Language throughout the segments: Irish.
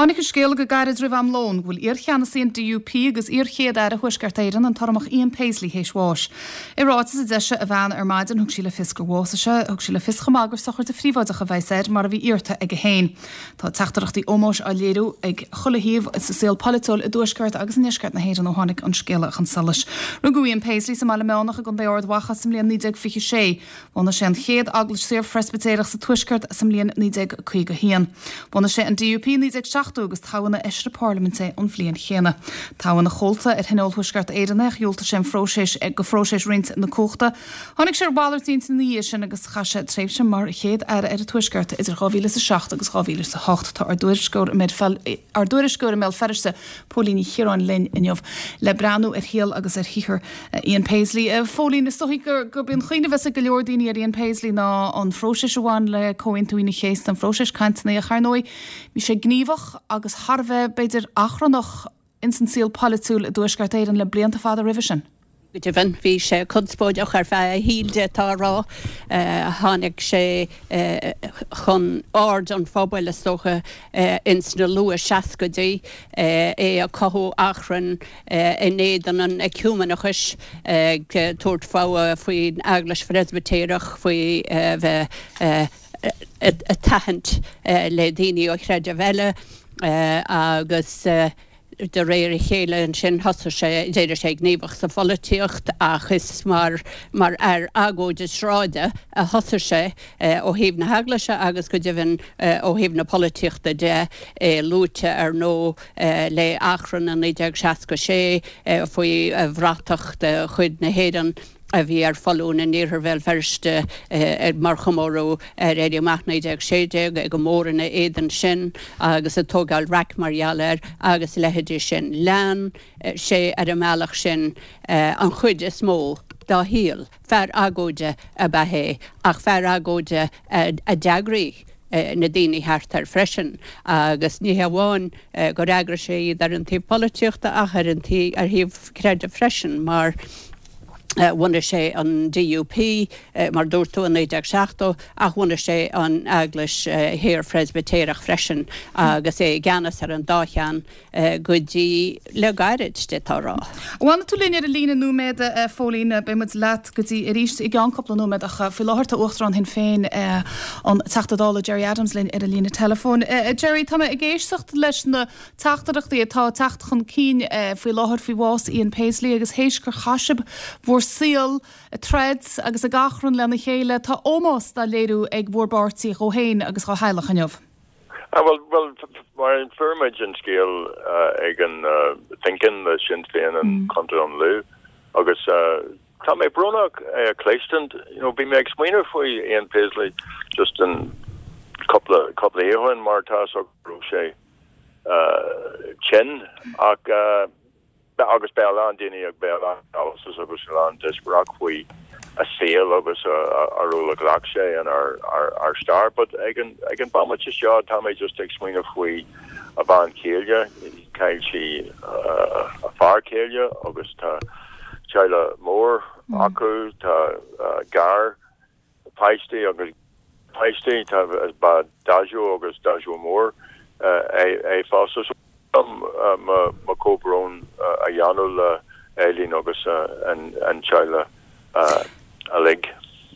Tháinig an scéala go gairid roimh am lóin go bhfuil iar-cheannasaí an DUP agus iar-Chéad-Aire Thuaisceart Éireann, an tUrramach Ian Paisley, théis bháis. I ráiteas a d'eisigh a bhean ar maidin, thug sí le fios gur bhásaigh sé. Thug sí le fios chomh maith gur sochraide phríobháideach a bheas air, mar a bhí iarrta aige féin. Tá teachtaireachtaí ómóis á léiriú ag chuile thaobh sa saol polaitiúil i dtuaisceart agus i ndeisceart na hÉireann ó tháinig an scéala chun solais. Rugadh Ian Paisley sa mBaile Meánach i gContae Ard Mhacha sa mbliain 1926. Bhunaigh sé an chéad Eaglais Saor-Phreispitéireach sa Tuaisceart sa mbliain 1951. Bhunaigh sé an DUP i 1970 agus toghadh ina Fheisire Parlaiminte é an bhliain chéanna. Toghadh ina chomhalta ar Thionól Thuaisceart Éireann é ach dhiúltaigh sé an phróiseas go phróiseas roinnt na cumhachta. Tháinig sé ar mhalairt intinne ina dhiaidh sin agus chaith sé tréimhse mar Chéad Aire ar an Tuaisceart idir 2007 agus 2008. Tá ár dtuairisceoir i mBéal Feirste, Póilín Ní Chiaráin linn inniu le breathnú ar shaol agus ar shaothar Ian Paisley. A Phóilín, is dóigh gurb í an chuimhne a bheas ag go leor daoine ar Ian Paisley ná an phróiseas a bhain le Comhaontú Aoine an Chéasta, an phróiseas cainteanna, ach ar ndóigh bhí sé gníomhach agus thar a bheith, b'fhéidir, achrannach ins an saol polaitiúil i dTuaisceart Éireann le blianta fada roimhe sin. Go deimhin, bhí sé conspóideach ar feadh a shaoil, d'fhéadfá a rá. Tháinig sé chun aird an phobail, is dócha, ins na luath-seascaidí, é ag cothú achrainn in éadan an eiciúimeanachais, ag tabhairt fogha faoin Eaglais Phreispitéireach, faoi bheith ag tathant le daoine ó chreidimh eile agus de réir a chéile ansin thosaigh sé, d'éirigh sé gníomhach sa pholaitíocht ach is mar mar fhear agóide sráide a thosaigh sé ó thaobh na heaglaise agus go deimhin ó thaobh na polaitíochta de, é luaite ar ndóigh le achrann i 1966 faoi bhratach de chuid na hÉireann a bhí ar foluain in iarthar Bhéal Feirste mar chomóradh ar Éirí Amach 1916, é go mór ina éadan sin agus ag tógáil raic mar gheall air agus a leithéidí sin. Lean sé ar an mbealach sin an chuid is mó dá shaol. Fear agóide ab ea é ach fear agóide a d'eagraigh na daoine thart air freisin agus ní hamháin gur eagraigh sé iad ar an taobh polaitíochta ach ar an taobh ar thaobh creidimh freisin mar bhunaigh sé an DUP mar dúirt tú i 1970 ach bhunaigh sé an Eaglais Shaor Phreispitéireach freisin agus é i gceannas ar an dá cheann go dtí le gairid, d'fhéadfá a rá. Fanfaidh tú linn ar an líne nóiméad, a Phóilín. Beidh muid leat go dtí arís i gceann cúpla nóiméad ach faoi láthair tá Uachtarán Shinn Féin, an Teachta Dála Gerry Adams linn ar an líne teileafóin. Gerry, tá mé ag éisteacht leis na teachtaireachtaí atá ag teacht chun cinn faoi láthair faoi bhás Ian Paisley agus théis gur chaith sibh bhur saol ag troid agus ag achrann lena chéile, tá ómós dá léiriú ag bhur bpáirtí dhó féin agus dhá theaghlach inniu. Ah bhuel, bhuel, mar a fuair muid an scéal ag an Thinkin le Sinn Féin in Contae an Lú agus tá mé brónach é a chloisteáil, you know, bhí mé ag smaoineamh faoi Ian Paisley just an cúpla, cúpla oíche ó shin mar tá a fhios agam go raibh sé tinn ach agus beidh a lán daoine ag beidh a lán analysis agus a lán díospóireacht faoi a saol agus a ról a ghlac sé in ár ár stair. But ag an ag an bomaite seo tá mé just ag smaoineamh faoi a bhean chéile, chaill sí a fear céile agus tá teaghlach mór acu, tá gar páistí agus páistí, tá ba daideo agus daideo mór é fosta. So mo chomhbhrón a dhéanamh le Eileen agus an teaghlach uilig.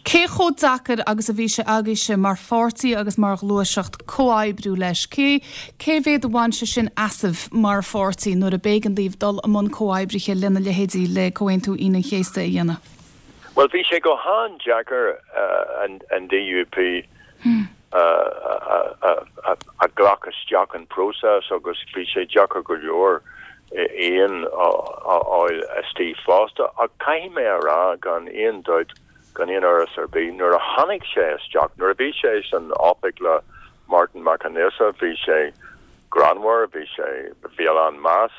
Cé chomh deacair agus a bhí sé agaibhse mar pháirtí agus mar ghluaiseacht comhoibriú leis? Cé cé mhéad a bhain sé sin asaibh mar pháirtí nuair a b'éigean daoibh dul i mbun comhoibrithe lena leithéidí le Comhaontú Aoine an Chéasta a dhéanamh? Bhuel, bhí sé go han-deacair an DUP a ghlacadh isteach an próiseas agus bhí sé deacair go leor Ian a fháil istigh fosta. Ach caithfidh mé a rá gan aon dabht, gan aon amhras ar bith, nuair a tháinig sé isteach, nuair a bhí sé san oifig le Martin Mac Aonghusa, bhí sé greannmhar, bhí sé, bhí a lán meas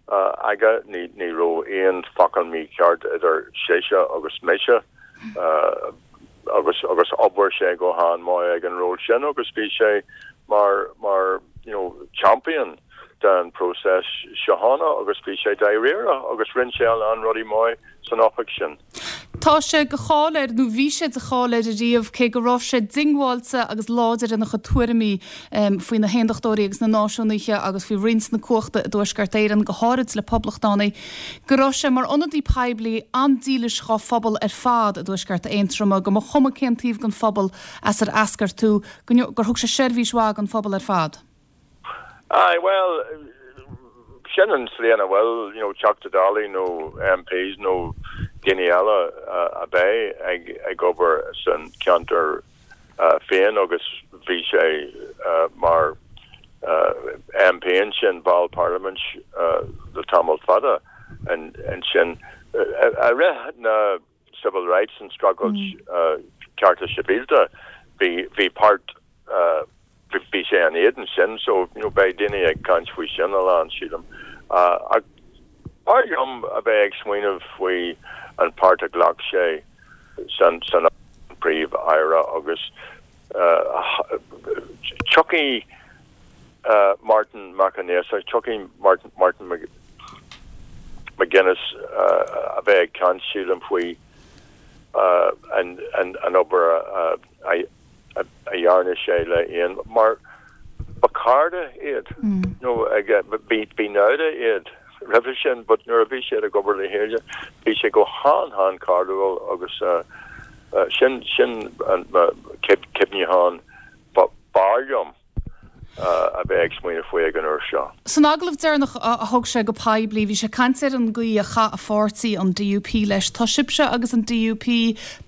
aige. Ní raibh aon focal mícheart idir seisean agus mise agus agus obair sé go han-mhaith ag an ról sin agus bhí sé mar mar you know champion den próiseas síochána agus bhí sé dáiríre agus rinne sé a lán rudaí maith san oifig sin. Tá sé de cháil air, nó bhí sé de cháil air ariamh, cé go raibh sé diongbháilte agus láidir ina chuid tuairimí faoi na hAondachtóirí agus na Náisiúnaithe agus faoi roinnt na cumhachta i dTuaisceart Éireann, go háirid le poblachtánaigh, go raibh sé mar ionadaí poiblí an-dílis dhá phobal ar fad i dTuaisceart Aontroma, go mba chuma cén taobh den phobal as ar eascair tú, gur thug sé seirbhís mhaith don phobal ar fad. Aye, bhuel, sin an tslí ina bhfuil, you know, Teachta Dálaí nó MPs nó daoine eile a bheith ag ag obair san ceantar féin agus bhí sé mar MP ansin, ball parlaimint le tamall fada ansin. I rith na civil rights an streachailt cearta sibhialta, bhí bhí páirt bhí sé in éadan sin so you know beidh daoine ag caint faoi sin a lán sílim. Ach b'fhearr liom a bheith ag smaoineamh faoi an páirt a ghlac sé san san príomh-aire agus tiocfaidh Martin Mac an Aosa, tiocfaidh Martin Martin McGuinness a bheith ag caint sílim faoi an an obair a a dhearna sé le Ian mar ba cairde iad nó bhí bhí naimhde iad roimhe sin but nuair a bhí siad ag obair le chéile bhí sé go han han cairdiúil agus sin sin an cuimhneachán b'fhearr liom. a bheith ag smaoineamh faoi ag an uair seo. San agallamh deireanach a thug sé go poiblí, bhí sé ag caint ar an gcaoi a chaith a pháirtí, an DUP, leis. Tá sibhse agus an DUP,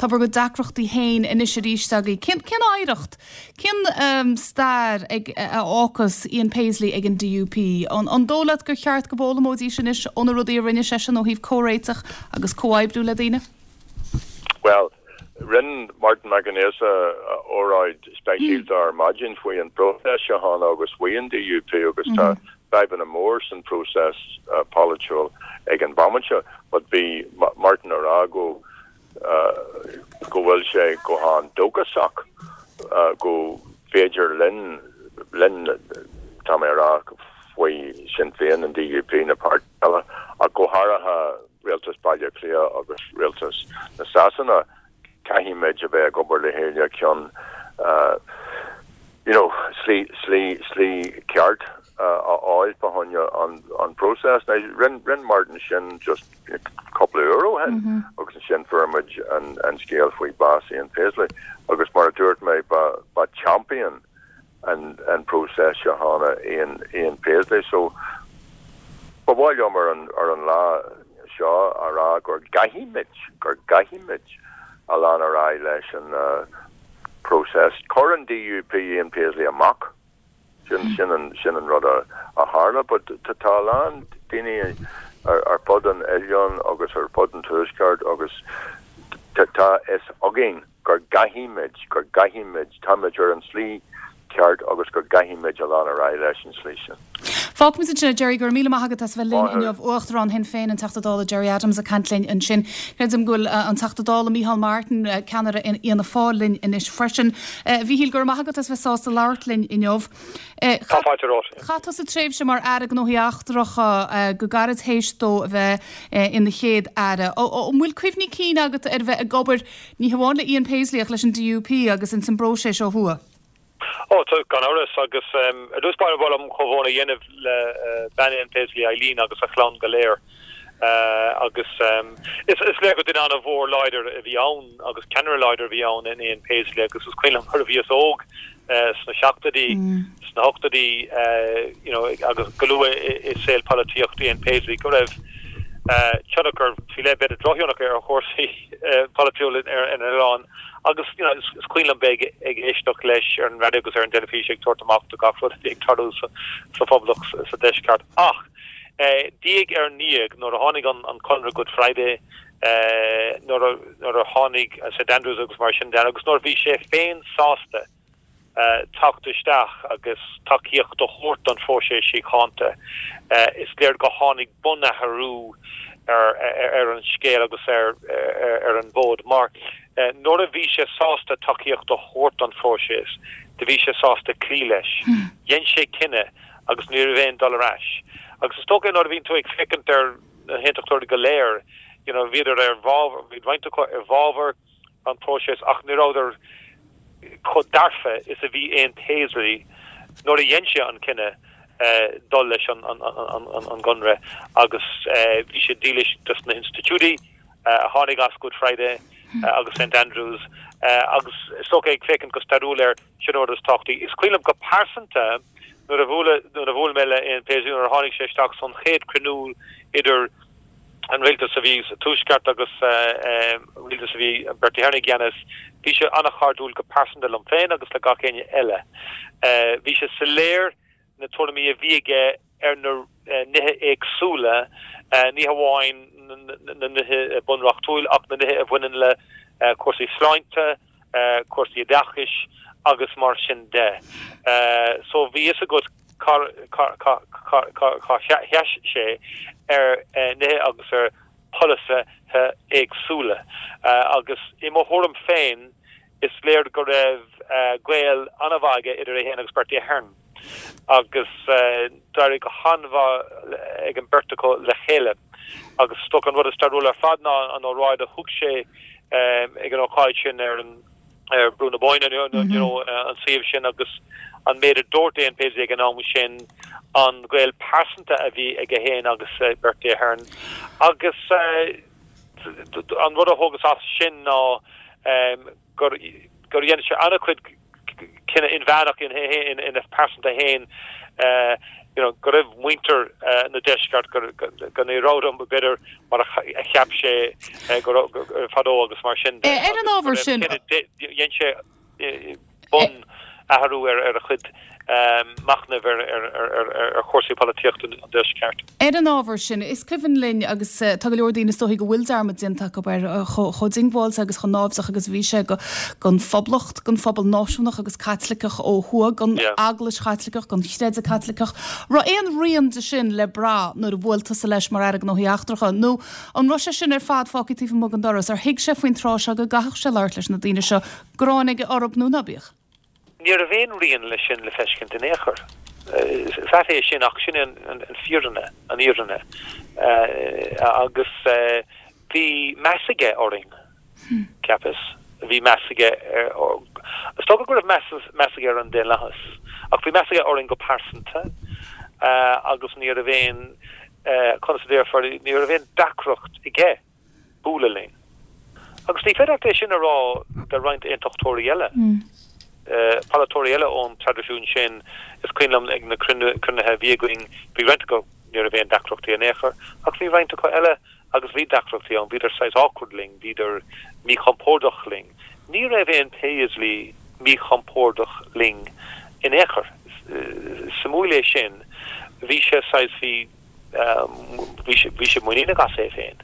tá bhur gcuid deacrachtaí féin anois arís agaibh. Cén, cén oidhreacht, cén stair ag, a fhágfas Ian Paisley ag an DUP? An, an dóigh leat gur cheart go bhfoghlaimeoidís anois ó na rudaí a rinne seisean ó thaobh comhréiteach agus comhoibriú le daoine? Bhuel, Rinne Martin Mac an Aosa óráid speisialta ar maidin faoi an bpróiseas síochána agus faoi an DUP agus tá fadhbanna mór san próiseas polaitiúil ag an bhomaite but bhí Martin a rá go go bhfuil sé go han dóchasach go féidir linn linn tá mé a rá faoi Sinn Féin an DUP na páirtithe eile ach go háirithe Rialtas Baile Átha Cliath agus Rialtas na Sasana, caithfimid a bheith ag obair le chéile chun you know slí slí slí ceart a fháil fá choinne an an próiseas. Now rinn rinn Martin sin just cúpla uair ó shin agus ansin fuair muid an an scéal faoi bás Ian Paisley agus mar a dúirt mé ba ba champion an próiseas síochána Ian Ian Paisley so ba mhaith liom ar an ar an lá seo a rá gur gcaithfimid gur gcaithfimid a lean ar aghaidh leis an próiseas. Chuir an DUP Ian Paisley amach sin sin an sin an rud a a tharla but tá a lán daoine ar ar fud an oileáin agus ar fud an tuaisceart agus tá tá fhios againn gur gcaithfimid, gur gcaithfimid, táimid ar an slí ceart agus gur gcaithfimid a lean ar aghaidh leis an slí sin. Fágfaimid ansin é, Gerry, go raibh míle maith agat as a bheith linn inniu. Uachtarán Shinn Féin, an Teachta Dála Gerry Adams ag caint linn ansin. Creidim go bhfuil an Teachta Dála Micheál Martin, ceannaire Fhianna Fáil linn anois freisin. A Mhíchíl, go raibh maith agat as a bheith sásta labhairt linn inniu. Tá fáilte romhat. Chaith tusa tréimhse mar Aire Gnóthaí Eachtracha go gairid théis dó a bheith ina Chéad Aire. An bhfuil cuimhní cinn agat ar bheith ag obair ní hamháin le Ian Paisley ach leis an DUP agus ins an bpróiseas ó thuaidh? Ó, tá, gan amhras, agus ar dtús báire ba mhaith liom comhbhrón a dhéanamh le bean Ian Paisley, Eileen, agus a chlann go léir. Agus is léir gur duine an-mhór láidir a bhí ann agus ceannaire láidir a bhí ann in Ian Paisley agus is cuimhin liom nuair a bhíos óg sna seachtóidí, sna hochtóidí you know agus go luath i saol polaitíocht Ian Paisley go raibh tionchar faoi leith, b'fhéidir drochthionchar ar chúrsaí polaitiúla ar an oileán agus you know is cuimhin liom bheith ag éisteacht leis ar an raidió agus ar an dteilifís ag tabhairt amach do gach rud a bhí ag tarlú sa Phoblacht sa Deisceart. Ach diaidh ar ndiaidh nuair a tháinig an Conradh Good Friday, nuair a tháinig St Andrews agus mar sin de agus nuair a bhí sé féin sásta teacht isteach agus tacaíocht a thabhairt don phróiseas síochánta, is léir gur tháinig bunathrú ar an scéal agus ar an bhfód mar nuair a bhí sé sásta tacaíocht a thabhairt don phróiseas, do bhí sé sásta cloí leis. Dhein sé cinneadh agus ní raibh aon dul ar ais. Agus is dócha nuair a bhíonn tú ag féachaint ar na haontachtóirí go léir. you know, bhíodar ar bhfabhar, bhí roinnt acu i bhfabhar an próiseas ach ní rabhadar chomh dearfa is a bhí Ian Paisley nuair a dhein sé an cinneadh dul leis an gConradh agus bhí sé dílis dos na hinstitiúidí a tháinig as Good Friday agus St Andrews agus is dócha ag féachaint go stairiúil air, sin an rud is tábhachtaí. Is cuimhin liom go pearsanta nuair a bhuail nuair a bhuail mé le Ian Paisley nuair a tháinig sé isteach san chéad chruinniú idir an rialtas a bhí sa Tuaisceart agus rialtas a bhí Bertie Ahern i gceannas, bhí sé an-chairdiúil go pearsanta liom féin agus le gach éinne eile. Bhí sé soiléir na tuairimí a bhí aige ar na nithe éagsúla, ní hamháin na nithe bunreachtúil ach na nithe a bhaineann le cúrsaí sláinte, cúrsaí oideachais agus mar sin de. So bhí fhios agat cá sheas sé ar nithe agus ar pholasaithe éagsúla. Agus i mo thuairim féin, is léir go raibh gaol an-mhaith aige idir é féin agus Bertie Ahern agus d'éirigh go han-mhaith ag an beirt acu le chéile. Agus is dócha an rud is stairiúla ar fad ná an óráid a thug sé ag an ócáid sin ar an ar Brú na Bóinne, you know, an suíomh sin agus an méid a dúirt Ian Paisley ag an am sin, an gaol pearsanta a bhí aige féin agus Bertie Ahern. Agus an rud a thógas as sin ná gur gur dhein sé an-chuid cinneadh inmheánach ina phearsanta féin you know, go raibh muintir na deisceart go go ní rabhadar b'fhéidir mar a cheap sé go raibh fadó agus mar sin de. Ar an ábhar sin. Dhein sé bun athrú ar a chuid machnaimh ar chúrsaí polaitíochta an deisceart. Ar an ábhar sin, is cuimhin linn, agus tá go leor daoine is dóichí go bhfuil dearmad déanta acu air, chomh diongbháilte agus chomh náimhdeach agus a bhí sé don Phoblacht, don phobal náisiúnach agus Caitliceach ó thuaidh, don Eaglais Chaitliceach, don chreideamh Caitliceach. Raibh aon rian de sin le brath nuair a bhuail tusa leis mar Aire Gnóthaí Eachtracha, nó an raibh sé sin ar fad fágtha taobh amuigh den doras? Ar thuig sé faoin tráth seo go gcaithfeadh sé labhairt leis na daoine seo, gráin aige orthu nó ná bíodh? Ní raibh aon rian leis sin le feiscint in aon chor. Is ait é sin ach sin é an fírinne, an fhírinne. Agus bhí meas aige orainn, cheapas. Bhí meas aige ar, is dócha go raibh meas aige ar an daonlathas, ach bhí meas aige orainn go pearsanta agus ní raibh aon, conas a déarfá, ní raibh aon deacracht aige. bualadh linn. Agus ní féidir leat é sin a rá de roinnt aontachtóirí eile, polaiteoirí eile ón traidisiún sin. Is cuimhin liom ag na cruinnithe a bhí againn, bhí roinnt acu, ní raibh aon deacrachtaí in aon chor, ach bhí roinnt acu eile agus bhí deacrachtaí ann, bhíodar saghas awkward linn, bhíodar míchompordach linn. Ní raibh Ian Paisley míchompordach linn in aon chor. Suimiúil é sin. Bhí sé saghas, bhí. Bhí sé muiníneach as é féin.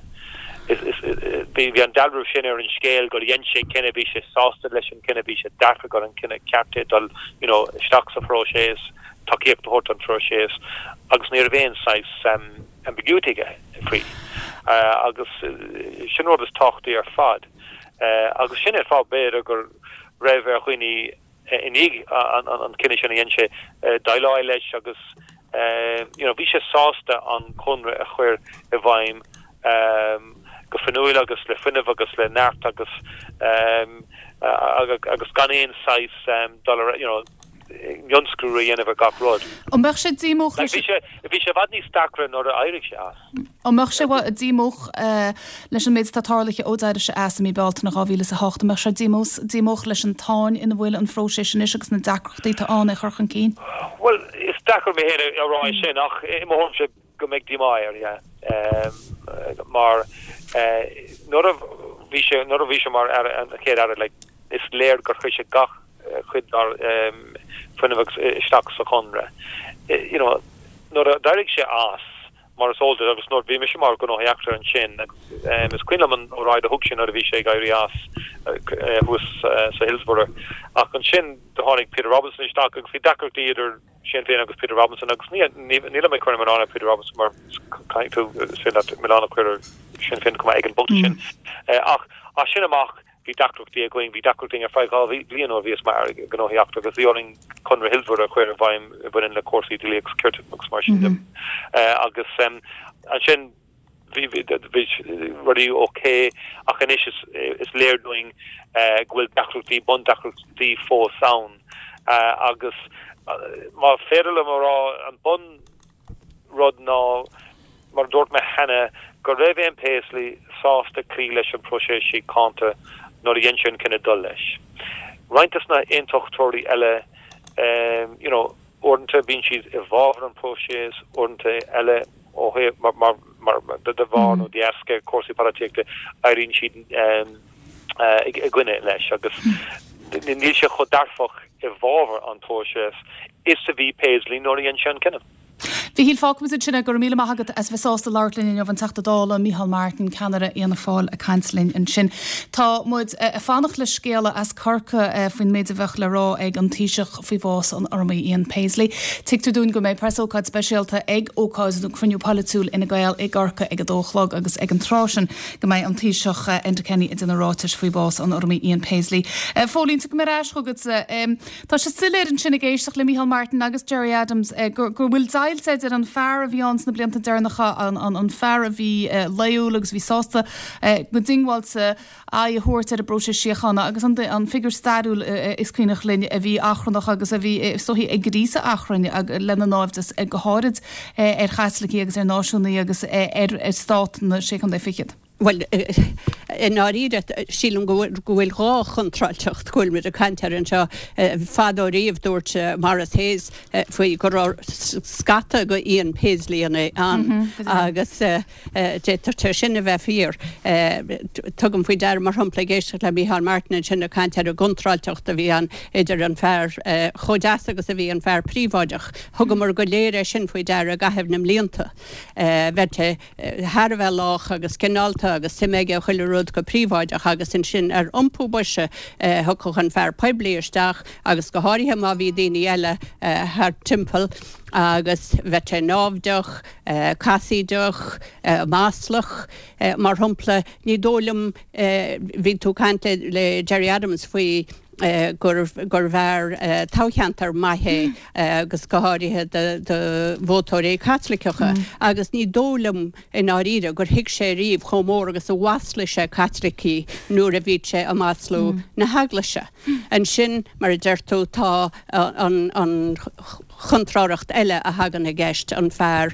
Bhí an dealramh sin ar an scéal gur dhein sé cinneadh, bhí sé sásta leis an cinneadh, bhí sé dearfa gur an cinneadh ceart é dul you know isteach sa phróiseas, tacaíocht a thabhairt don phróiseas agus ní raibh aon saghas ambiguity aige faoi. Agus sin rud is tábhachtaí ar fad. Agus sin é an fáth b'fhéidir go raibh ar dhaoine i ndiaidh an cinneadh sin a dhein sé, déileáil leis agus you know bhí sé sásta an conradh a chur i bhfeidhm go fuinniúil agus le fuinneamh agus le neart agus agus gan aon saghas dul ar you know mionscrúdú a dhéanamh ar gach rud. An mbeadh sé díomách leis? Bhí sé bhí sé i bhfad níos deacra nuair a éirigh sé as. An mbeadh sé díomách leis an méid atá tarlaithe ó d'éirigh sé as i mí Bealtaine 2008? An mbeadh sé díomách leis an tsáinn ina bhfuil an phróiseas anois agus na deacrachtaí atá ann é chur chun cinn? Bhuel, is deacair mé féin a rá é sin ach i mo thuairimse go mbeidh díomá air, yeah. Mar nuair a bhí sé, nuair a bhí sé mar aire, an chéad aire, like, is léir gur chuir sé gach chuid dá fuinneamh agus isteach sa chonradh. You know, nuair a d'éirigh sé as, Mar is eol duit, agus nuair bhí mise mar Gnóthaí Eachtracha ansin, is cuimhin liom an óráid a thug sé nuair a bhí sé ag éirí as thuas sa Hillsborough. Ach ansin do tháinig Peter Robinson isteach agus bhí deacrachtaí idir Sinn Féin agus Peter Robinson agus nílim ag cur an milleán ar Peter Robinson mar caithfidh tú is féidir leat milleán a chur ar Sinn Féin chomh maith ag an bpointe sin. Ach as sin amach Bhí deacrachtaí againn, bhí deacrachtaí againn ar feadh 2 bhliain nuair a bhíos mar Aire Gnóthaí Eachtracha agus bhí orainn Conradh Hillsborough a chur i bhfeidhm a bhaineann le cúrsaí dlí agus cirt agus mar sin de. Agus ansin. Bhí rudaí ok ach anois is léir dúinn go bhfuil deacrachtaí, bundeacrachtaí fós ann agus má féidir liom a rá an bun rud ná mar a dúirt mé cheana go raibh Ian Paisley sásta cloí leis an próiseas síochánta nuair a dhein sé an cinneadh dul leis. Roinnt des na aontachtóirí eile you know uaireanta bíonn siad i bhfabhar an próiseas, uaireanta eile ó thaobh mar mar de bharr nó de dheasca cúrsaí polaitíochta éiríonn siad i gcoinne leis agus níl sé chomh dearfach i bhfabhar an próiseas is a bhí Paisley nuair a dhein sé an cinneadh. Mhíchíl, fágfaimid ansin é. Go raibh míle maith agat as bheith sásta labhairt linn inniu, an Teachta Dála Micheál Martin, ceannaire Fhianna Fáil ag caint linn ansin. Tá muid ag fanacht le scéala as Corcaigh faoin méid a bheadh le rá ag an Taoiseach faoi bhás an Urramaí Ian Paisley. Tuigtear dúinn go mbeidh preasócáid speisialta ag ócáid nó cruinniú polaitiúil Fhine Gael i gCorcaigh ag a dó a chlog agus ag an tráth sin go mbeidh an Taoiseach Enda Kenny ag déanamh ráitis faoi bhás an Urramaí Ian Paisley. Phóilín, tiocfaidh mé ar ais chugatsa. Tá sé soiléir ansin ag éisteacht le Micheál Martin agus Gerry Adams go bhfuil deighilt idir an fear a bhí ann sna blianta deireanacha, an fear a bhí laoiúil agus a bhí sásta go diongbháilte aghaidh a thabhairt ar an bpróiseas síochána agus an figiúr stairiúil is cuimhneach linn a bhí achrannach agus a bhí is dóichí ag gríosadh achrainn lena naimhdeas go háirid ar Chaitlicigh agus ar náisiúnaigh agus ar stát na Sé Chontae Fichead. Bhuel, i ndáiríre, sílim go bhfuil dhá chontráilteacht go bhfuil muid ag caint air anseo. Fadó riamh dúirt Maurice Hayes faoi go raibh scata de Ian Paisleyanna ann agus d'fhéadfadh sé sin a bheith fíor. Tugaim faoi deara, mar shampla, ag éisteacht le Micheál Martin ansin ag caint ar an gcontráilteacht a bhí ann idir an fear chomh deas agus a bhí an fear príobháideach. Thugamar go léir é sin faoi deara i gcaitheamh na mblianta. Bheadh sé thar a bheith lách agus cineálta agus suim aige i chuile rud go príobháideach agus ansin ar iompú boise thiocfadh an fear poiblí isteach agus go háirithe má bhí daoine eile thart timpeall agus bheadh sé náimhdeach, casaoideach, maslach. Mar shampla, ní dóigh liom, bhí tú ag caint le Gerry Adams faoi gurbh fhear toghcheantair maith é agus go háirithe do vótóirí Caitliceacha agus ní dóigh liom i ndáiríre gur thuig sé riamh chomh mór agus a mhaslaigh sé Caitlicigh nuair a bhí sé ag maslú na hEaglaise. Ansin, mar a deir tú, tá an chontrárthacht eile a thagann i gceist, an fear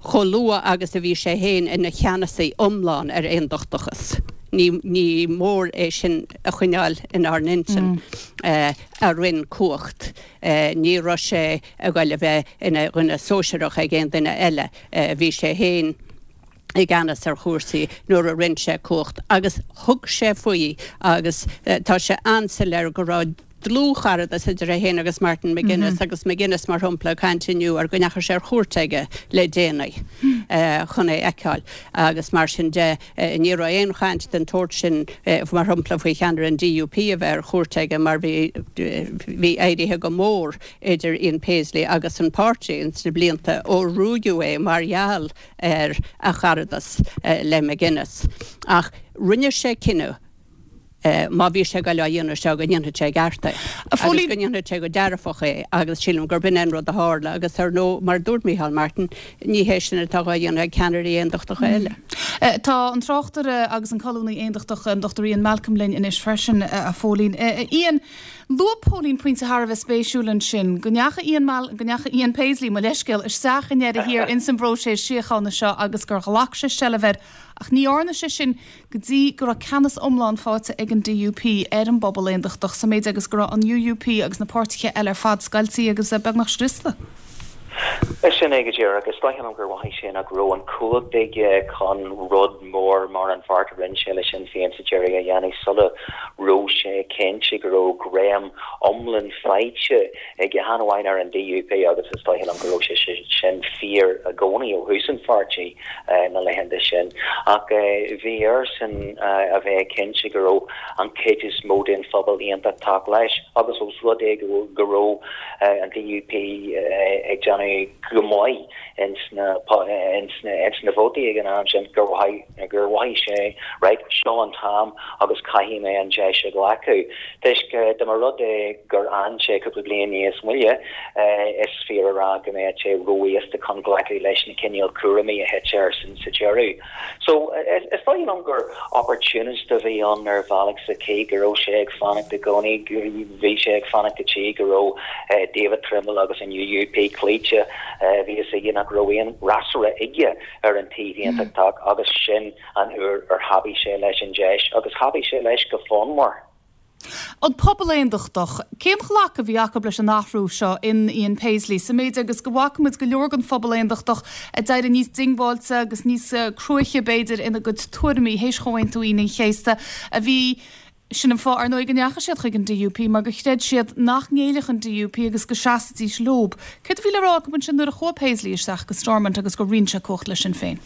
chomh luath agus a bhí sé féin ina cheannasaí iomlán ar aondachtachas. Ní mór é sin a choinneáil inár n-intinn, a roinn cumhacht. Ní raibh sé ag goil a bheith ina dhuine sóisearach ag aon duine eile. Bhí sé féin i gceannas ar chúrsaí nuair a roinn sé cumhacht agus thug sé faoi agus tá sé an-soiléir go raibh dlúthcharadas idir é féin agus Martin McGuinness agus McGuinness mar shampla ag caint inniu ar go ndeachaigh sé ar chuairt aige le déanaí chun é a fheiceáil agus mar sin de ní raibh aon chaint den tsórt sin mar shampla faoi cheannaire an DUP a bheith ar chuairt aige mar bhí bhí éirithe go mór idir Ian Paisley agus an páirtí ins na blianta ó ruaigeadh é mar gheall ar a charadas le McGuinness. Ach rinne sé cinneadh, má bhí sé ag goil á dhéanamh seo, go ndéanfadh sé i gceart é. Agus go ndéanfadh sé go dearfach é agus sílim gurb in é an rud a tharla agus ar ndóigh, mar a dúirt Micheál Martin, ní hé sin atá dhá dhéanamh ag ceannairí aondachtacha eile. Tá an tráchtaire agus an colúnaí aondachtach, an Dr Ian Malcolm linn anois freisin, a Phóilín. Ian, Luaigh Póilín pointe thar a bheith spéisiúil ansin, go ndeachaigh Ian Mal, go ndeachaigh Ian Paisley, mo leithscéal, isteach i ndeireadh thiar ins an bpróiseas síochána seo agus gur ghlac sé seilbh air ach ní dhearna sé sin go dtí go raibh ceannas iomlán faighte ag an DUP ar an bpobal aondachtach sa méid agus go raibh an UUP agus na páirtithe eile ar fad scoiltí agus beagnach scriosta. Sin é go díreach. Is dóigh liom gur mhothaigh sé nach raibh an chumhacht aige chun rud mór mar an bheart a rinne sé le Sinn Féin sa deireadh a dhéanamh sula raibh sé cinnte go raibh greim iomlán faighte aige, chan amháin ar an DUP agus is dóigh liom go raibh sé sin fíor i gcónaí ó thús an pháirtí na laethanta sin ach bhí airsean a bheith cinnte go raibh an chuid is mó den phobal aontachtach leis agus ós rud é go raibh an DUP ag déanamh go maith ins na ins na vótaí ag an am sin gur gur mhothaigh sé right seo an t-am agus caithfidh mé an deis a ghlacadh. Toisc dá mba rud é gur fhan sé cúpla bliain níos moille is fíor a rá go mbeadh sé ró-aosta chun. chun glacadh leis na cineál cúraimí a thit air sa deireadh. So, is dóigh liom gur opportunist a bhí ann ar bhealach sa chaoi go raibh sé ag fanacht i gcónaí, bhí sé ag fanacht go dtí go raibh David Trimble agus an UUP cloíte, bhí fhios aige nach raibh aon fhreasúra aige ar an taobh aontachtach agus sin an uair ar thapaigh sé leis an deis agus thapaigh sé leis go fonnmhar. An pobal aontachtach, cén ghlacadh a bhí acu leis an athrú seo in Ian Paisley, sa méid agus go bhfaca muid go leor den phobal aontachtach ag éirí níos diongbháilte agus níos cruaiche b'fhéidir ina gcuid tuairimí théis Chomhaontú Aoine an Chéasta a bhí Sin an fáth ar ndóigh go ndeachaigh siad chuig an DUP mar gur chreid siad nach ngéillfeadh an DUP agus go seasfaidís leob. Céard a bhí le rá acu ansin nuair a chuaigh Paisley isteach go Stormont agus gur roinn sé cumhacht le Sinn Féin?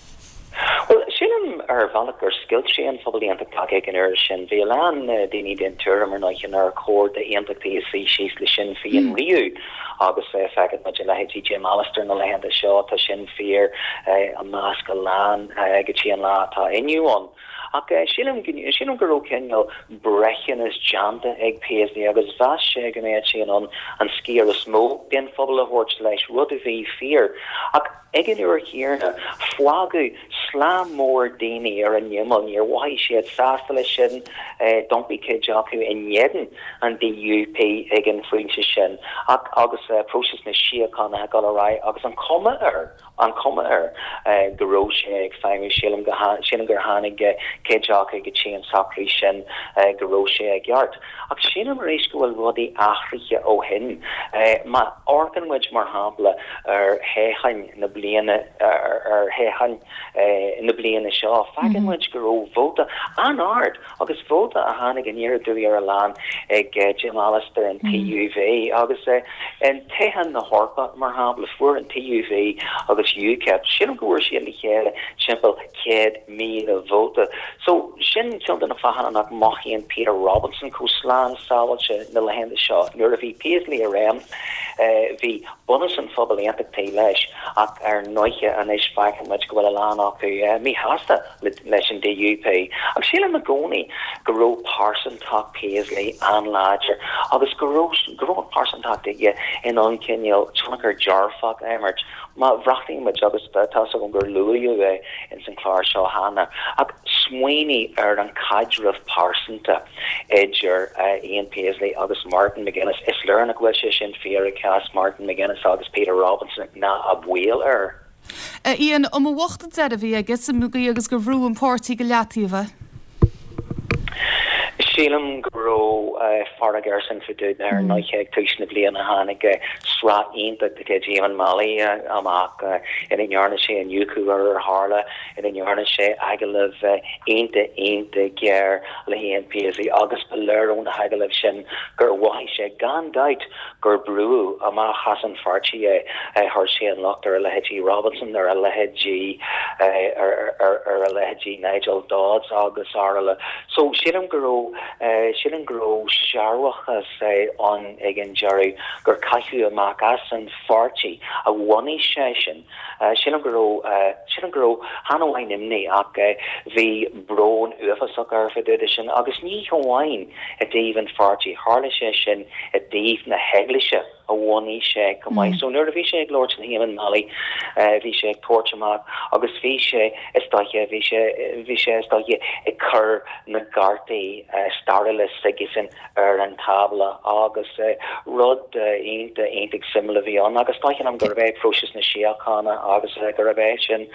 Bhuel, sílim ar bhealach gur scoilt sé an phobal aontachtach ag an uair sin. Bhí a lán daoine den tuairim, ar ndóighe, nár chóir d'aontachtaithe suí síos le Sinn Féin riamh agus feiceann muid a leithéidí Jim Allister na laethanta seo, tá sin fíor i measc a lán go dtí an lá atá inniu ann. Ach sílim, sílim go raibh cineál breithiúnas déanta ag Paisley agus mheas sé go mbeadh sé in ann an sciar is mó den phobal a thabhairt leis, rud a bhí fíor. Ach ag an uair chéanna, fágadh slám mór daoine ar an imeall, níor mhothaigh siad sásta leis sin, d'iompaigh cuid acu in éadan an DUP ag an phointe sin. Ach agus próiseas na síochána ag dul ar aghaidh agus an chuma air, an chuma air go raibh sé ag feidhmiú. Sílim go sílim gur tháinig cuid acu go dtí an socrú sin go raibh sé i gceart. Ach sílim arís go bhfuil rudaí athraithe ó shin. Má amharcann muid, mar shampla, ar thoghcháin na bliana ar thoghcháin na bliana seo, feiceann muid go raibh vóta an-ard Agus vóta a tháinig aniar aduaidh ar a lán ag Jim Allister an TUV. Agus in toghchán na hEorpa, mar shampla, fuair an TUV agus UKIP, sílim go bhfuair siad le chéile timpeall 100,000 vóta. So, sin ceann de na fáthanna nach mothaíonn Peter Robinson chomh slán sábháilte na laethanta seo. Nuair a bhí Paisley i réim, bhí bunús an phobail aontachtaigh leis, ach ar ndóiche anois feiceann muid go bhfuil a lán acu míshásta. leis an DUP. Ach sílim i gcónaí go raibh pearsantacht Paisley an-láidir agus go raibh go raibh an pearsantacht aige in ann cineál tionchar dearfach a imirt. Má bhreathnaíonn muid, agus tá fhios agam gur luadh é ins an chlár seo cheana, ach smaoinigh ar an caidreamh pearsanta idir Ian Paisley agus Martin McGuinness, is léir nach bhfuil sé sin fíor i gcás Martin McGuinness agus Peter Robinson ná a bhaol air. A Ian, an mba bhocht an deireadh a bhí aige sa gcaoi agus gur bhrúdh an páirtí go leataobh é? Sílim go raibh fearg airsean fá dtaobh de. Ar ndóighe ag tús na bliana tháinig sraith iontach de chuid Eamonn Mallie amach ina ndearna sé iniúchadh ar ar tharla, ina ndearna sé agallamh iontach iontach géar le hIan Paisley agus ba léir ó na hagallaimh sin gur mhothaigh sé gan dabht gur brúdh amach as an pháirtí é. Chuir sé an locht ar a leithéidí Robinson, ar a leithéidí ar a leithéidí Nigel Dodds agus araile. So sílim go raibh sílim go raibh searbhachas ann ag an deireadh gur caitheadh amach as an pháirtí a bhunaigh seisean. Sílim go raibh, sílim go raibh, chan amháin imní ach bhí brón uafásach air fá dtaobh de sin agus ní hamháin i dtaobh an pháirtí, tharla sé sin i dtaobh na heaglaise a bhunaigh sé chomh maith. So nuair a bhí sé ag labhairt le hEamonn Mallie bhí sé ag tabhairt amach agus bhí sé is dóiche, bhí sé, bhí sé is dóiche ag cur na gcártaí stairiúla s'aigesean ar an tábla agus rud iontach, iontach suimiúil a bhí ann agus dóigh liom gurb é próiseas na síochána agus gurb é sin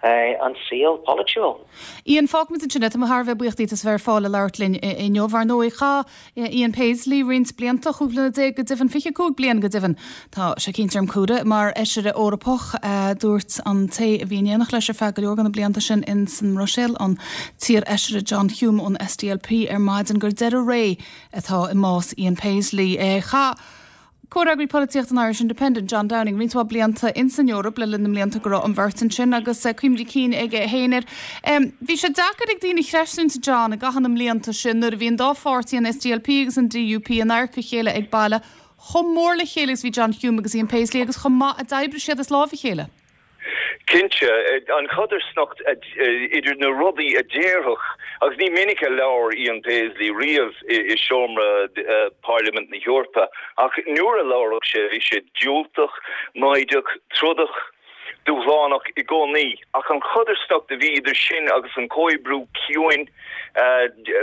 an saol polaitiúil. Ian, fágfaimid ansin é. Tá mé thar a bheith buíoch díot as a bheith ar fáil le labhairt linn inniu. Ar ndóigh, chaith Ian Paisley roinnt blianta, 15 bhliana go deimhin, 25 bliain go deimhin, tá sé cinnte ar m'chumhra, mar Fheisire Eorpach. Dúirt an té a bhí in éineacht leis ar feadh go leor de na blianta sin in san mBruiséil, an t-iar-Fheisire John Hume ón SDLP ar maidin gur deireadh ré atá i mbás Ian Paisley. Chaith comhfhreagraí polaitíochta an Irish Independent, John Downing, roinnt mhaith blianta in san Eoraip le linn na mblianta go raibh an bheirt ansin agus cuimhní cinn aige féin air. Bhí sé deacair ag daoine a chreistiúint, John, i gcaitheamh na mblianta sin nuair a bhí an dá pháirtí, an SDLP agus an DUP, in adharca a chéile ag baile, chomh mór le chéile agus bhí John Hume agus Ian Paisley agus chomh maith a d'oibrigh siad as láimh a chéile. Cinnte, an chodarsnacht idir na rudaí a déarfadh, agus ní minic a labhair Ian Paisley riamh i seomra Pairlimint na hEorpa, ach nuair a labhradh sé, bhí sé diúltach, maighdeach, trodach. Poblachtánach i gcónaí, ach an chodarsnacht a bhí idir sin agus an comhoibriú ciúin,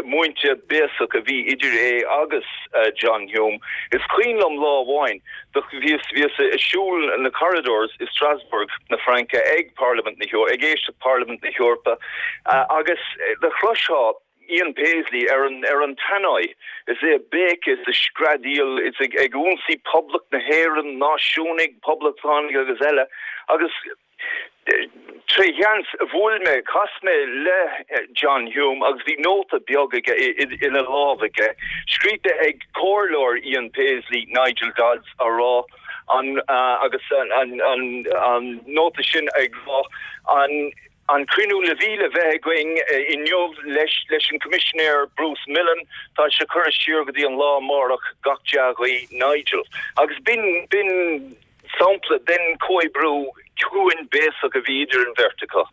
múinte béasach a bhí idir é agus John Hume. Is cuimhin liom lá amháin, do bhíos, bhíos ag siúl na corridors i Strasbourg na Fraince ag Parlaimint na hEorpa, ag éisteacht Parlaimint na hEorpa agus do chloisfeá Ian Paisley ar an, ar an tannoy is é ag béiceadh is ag screadaíl is ag, ag ionsaí Poblacht na hÉireann, náisiúnaigh, poblachtánaigh agus eile agus Tré sheans, bhuail mé, chas mé le John Hume agus bhí nóta beag aige ina lámh aige, scríte ag comhairleoir Ian Paisley, Nigel Dodds, á rá an, agus an nóta sin ag rá, an an cruinniú le bhí le bheith againn inniu leis leis an Coimisinéir Bruce Milne, tá sé curtha siar go dtí an lá amárach, gach dea-ghuí, Nigel. Agus b'in, b'in. sampla den chomhoibriú ciúin béasach a bhí idir an bheirt acu.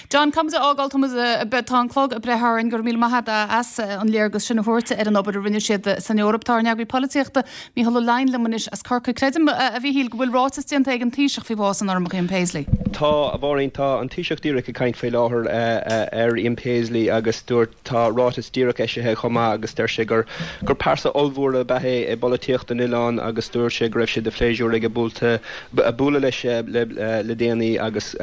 John, Caithfimid a fhágáil, tá muid, tá an clog ag breith orainn, go raibh míle maith agat as an léargas sin a thabhairt ar an obair a rinne siad san Eoraip. Tá ár n-eagraí polaitíochta, Mícheál Ó Leidhin liom anois as Corcaigh. Creidim, a Mhíchíl, go bhfuil ráiteas déanta ag an Taoiseach faoi bhás an Urramach Ian Paisley. Tá, a Mháirín, tá an Taoiseach díreach ag caint faoi láthair ar Ian Paisley agus dúirt, Tá ráiteas díreach eisithe chomh maith agus deir sé gur gur pearsa ollmhór ab ea é i bpolaitíocht an oileáin agus dúirt sé go raibh sé de phléisiúr aige buailte bualadh leis le déanaí agus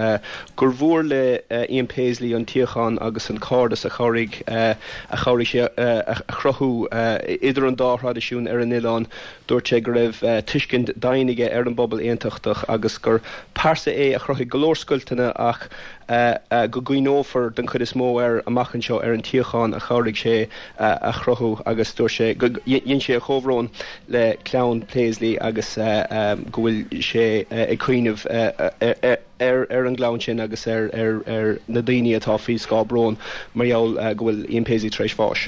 gur mhór le Ian Paisley an tsíocháin agus an cairdeas a chabhraigh a chabhraigh sé a chruthú idir an dá thraidisiún ar an oileán. Dúirt sé go raibh tuiscint domhain aige ar an bpobal aontachtach agus gur pearsa é a chruthaigh go leor scoilteanna ach go gcuimhneofar den chuid is mó air amach anseo ar an tsíocháin a chabhraigh sé a chruthú agus dúirt sé go dhein sé a chomhbhrón le clann Paisley agus go bhfuil sé ag cuimhneamh ar ar an gclann sin agus ar ar na daoine atá faoi scáth bróin mar gheall go bhfuil Ian Paisley tar éis bháis.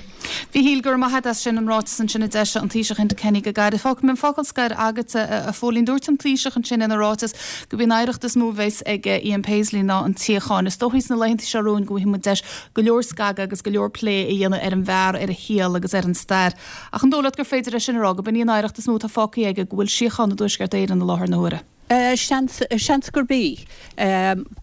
Mhíchíl, go raibh maith agat as sin, an ráiteas ansin a d'eisigh an Taoiseach Enda Kenny go gairid. Fágfaidh mé an focal scoir agatsa, a Phóilín. Dúirt an Taoiseach ansin ina ráiteas gurb í an oidhreacht is mó a bheas ag Ian Paisley ná an tsíocháin. Is dóichí sna laethanta seo romhainn go bhfaighidh muid deis go leor scagadh agus go leor plé a dhéanamh ar an bhfear, ar a shaol agus ar an stair. Ach an dóigh leat gur féidir é sin a rá, gurb in í an oidhreacht is mó atá fágtha aige, go bhfuil síocháin i dTuaisceart Éireann i láthair na huaire? Seans, seans gurb í.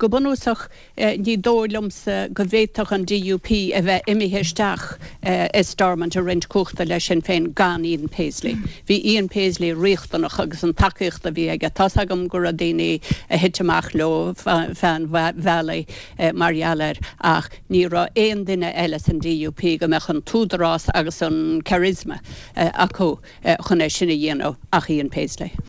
Go bunúsach, ní dóigh liomsa go bhféadfadh an DUP a bheith imithe isteach i Stormont ag roinnt cumhachta le Sinn Féin gan Ian Paisley. Bhí Ian Paisley riachtanach agus an tacaíocht a bhí aige. Tá's agam go raibh daoine a thit amach leo feadh an bhealaigh mar gheall air ach ní raibh aon duine eile san DUP go mbeadh an t-údarás agus an charisma acu chun é sin a dhéanamh ach Ian Paisley.